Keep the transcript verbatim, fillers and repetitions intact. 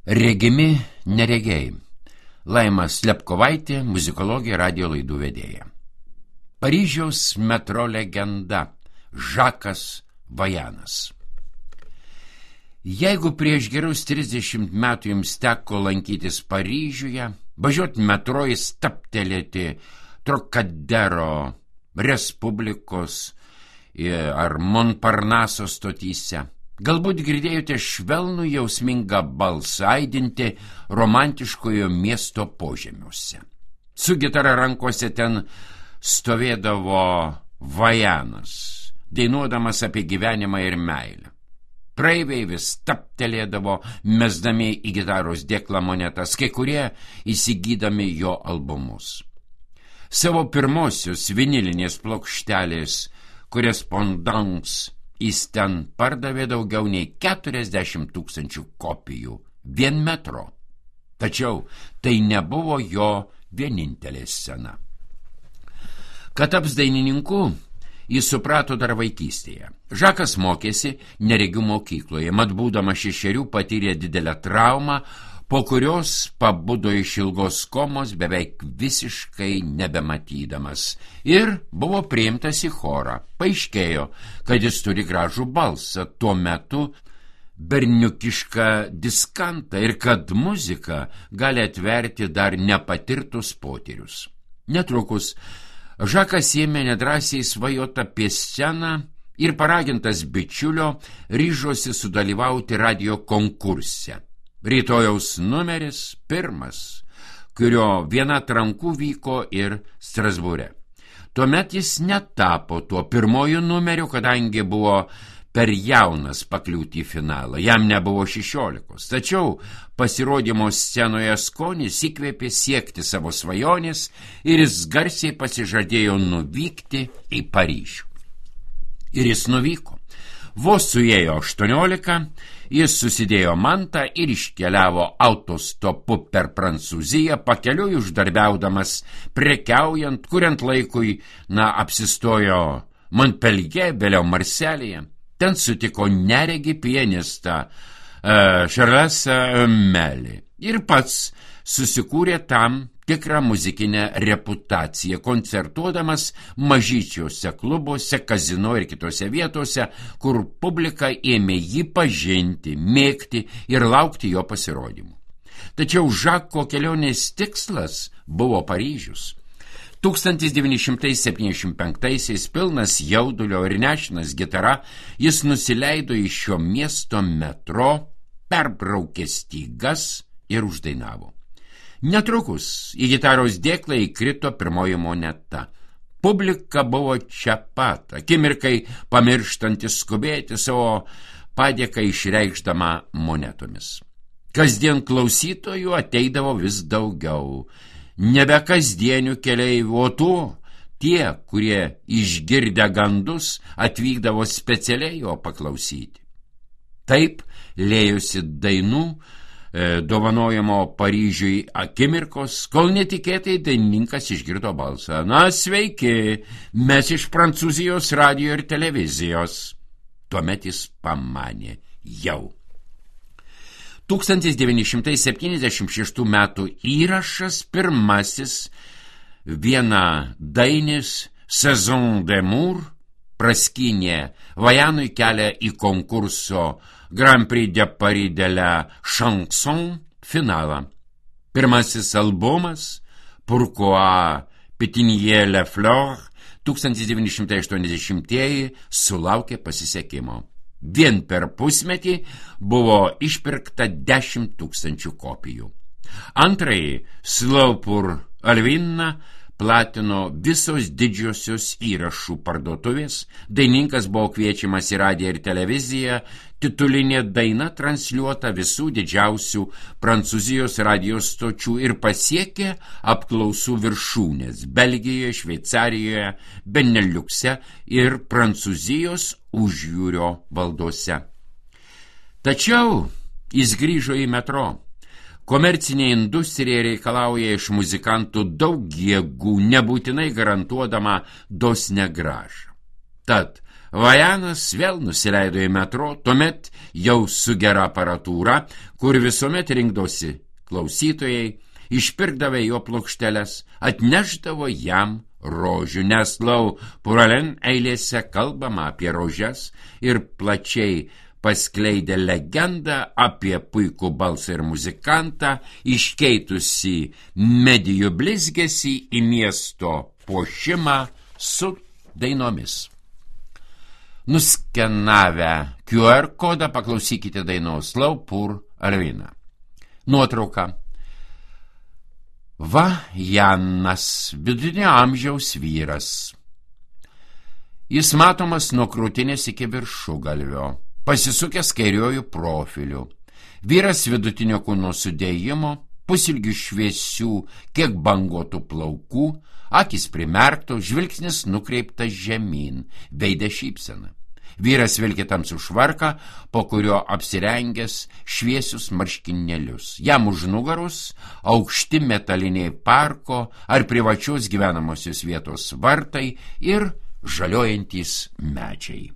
Regimi neregiai. Laima Slepkovaitė, muzikologė, radijo laidų vedėja. Paryžiaus metro legenda Žakas Vajanas. Jeigu prieš gerus trisdešimt metų jums teko lankytis Paryžiuje, važiuoti metro įstaptelėti Trocadero, Respublikos ar Montparnaso stotyse, galbūt girdėjote švelnų jausmingą balsą aidinti romantiškojo miesto požemiuose. Su gitara rankose ten stovėdavo Vajanas, dainuodamas apie gyvenimą ir meilę. Praeiviai vis taptelėdavo, mesdami į gitaros dėklą monetas, kai kurie įsigydami jo albumus. Savo pirmosios vinilinės plokštelės Correspondance jis ten pardavė daugiau nei keturiasdešimt tūkstančių kopijų vien metro. Tačiau tai nebuvo jo vienintelė scena. Kad taps dainininku, jis suprato dar vaikystėje. Žakas mokėsi neregių mokykloje, mat būdamas šešerių patyrė didelę traumą, po kurios pabudo iš ilgos komos beveik visiškai nebematydamas ir buvo priimtas į chorą. Paaiškėjo, kad jis turi gražų balsą, tuo metu berniukišką diskantą ir kad muzika gali atverti dar nepatirtus potyrius. Netrukus Žakas ėmė nedrąsiai svajoti apie sceną ir paragintas bičiulio ryžosi sudalyvauti radio konkurse. Rytojaus numeris pirmas, kurio viena atrankų vyko ir Strasbūre. Tuomet jis netapo tuo pirmoju numeriu, kadangi buvo per jaunas pakliūti į finalą. Jam nebuvo šešiolikos. Tačiau pasirodymo scenoje skonis įkvėpė siekti savo svajonės ir jis garsiai pasižadėjo nuvykti į Paryžių. Ir jis nuvyko. Vos suėjo aštuoniolika, jis susidėjo mantą ir iškeliavo autostopu per Prancūziją, pakeliui uždarbiaudamas, prekiaujant, kuriant laikui, na, apsistojo Montpellier, vėliau Marselyje. Ten sutiko neregį pianistą uh, Charlesą Melį ir pats susikūrė tam tikrą muzikinę reputaciją, koncertuodamas mažyčiuose klubuose, kazino ir kitose vietose, kur publika ėmė jį pažinti, mėgti ir laukti jo pasirodymų. Tačiau Žako kelionės tikslas buvo Paryžius. tūkstantis devyni šimtai septyniasdešimt penktaisiais pilnas jaudulio ir nešinas gitara, jis nusileido iš šio miesto metro, perbraukė stygas ir uždainavo. Netrukus į gitaros dėklą įkrito pirmoji moneta. Publika buvo čia pat, akimirkai pamirštantis skubėti savo padėką išreikšdama monetomis. Kasdien klausytojų ateidavo vis daugiau. Nebe kasdienių keleivių, o tų, tie, kurie išgirdę gandus, atvykdavo specialiai jo paklausyti. Taip lėjosi dainų, e, dovanojamo Paryžiui akimirkos, kol netikėtai dainininkas išgirdo balsą. Na, sveiki, mes iš Prancūzijos radijo ir televizijos. Tuomet jis pamanė jau. tūkstantis devyni šimtai septyniasdešimt šeštų metų įrašas pirmasis viena dainis Saison d'amour praskynė Vajanui kelią į konkurso Grand Prix de Paris de la Chanson finalą. Pirmasis albumas Pourquoi Pétiller la fleur tūkstantis devyni šimtai aštuoniasdešimtieji sulaukė pasisekimo. Vien per pusmetį buvo išpirkta dešimt tūkstančių kopijų. Antrąjį Slow pour Alvina platino visos didžiosios įrašų parduotuvės, dainininkas buvo kviečiamas į radiją ir televiziją, titulinė daina transliuota visų didžiausių Prancūzijos radijos stočių ir pasiekė apklausų viršūnės Belgijoje, Šveicarijoje, Beneliukse ir Prancūzijos užjūrio valdose. Tačiau jis grįžo į metro. Komercinė industrija reikalauja iš muzikantų daug jėgų, nebūtinai garantuodama dosnią grąžą. Tad Vajanas vėl nusileido į metro, tuomet jau su gera aparatūra, kur visuomet rinkdosi klausytojai, išpirkdavę jo plokšteles, atnešdavo jam rožių, nes lau Puralen eilėse kalbama apie rožes ir plačiai paskleidė legendą apie puikų balsą ir muzikantą, iškeitusi medijų blizgesį į miesto puošimą su dainomis. Nuskenavę Q R kodą paklausykite dainos Lau Pur Alvina. Nuotrauka. Vajanas, vidutinio amžiaus vyras. Jis matomas nuo krūtinės iki viršugalvio, pasisukęs kairiuoju profiliu. Vyras vidutinio kūno sudėjimo, pusilgių šviesių, kiek bangotų plaukų, akis primerktos, žvilgsnis nukreiptas žemyn, veide šypsena. Vyras vilki tamsų švarką, po kurio apsirengęs šviesius marškinėlius. Jam už nugarus aukšti metaliniai parko ar privačios gyvenamosios vietos vartai ir žaliuojantys medžiai.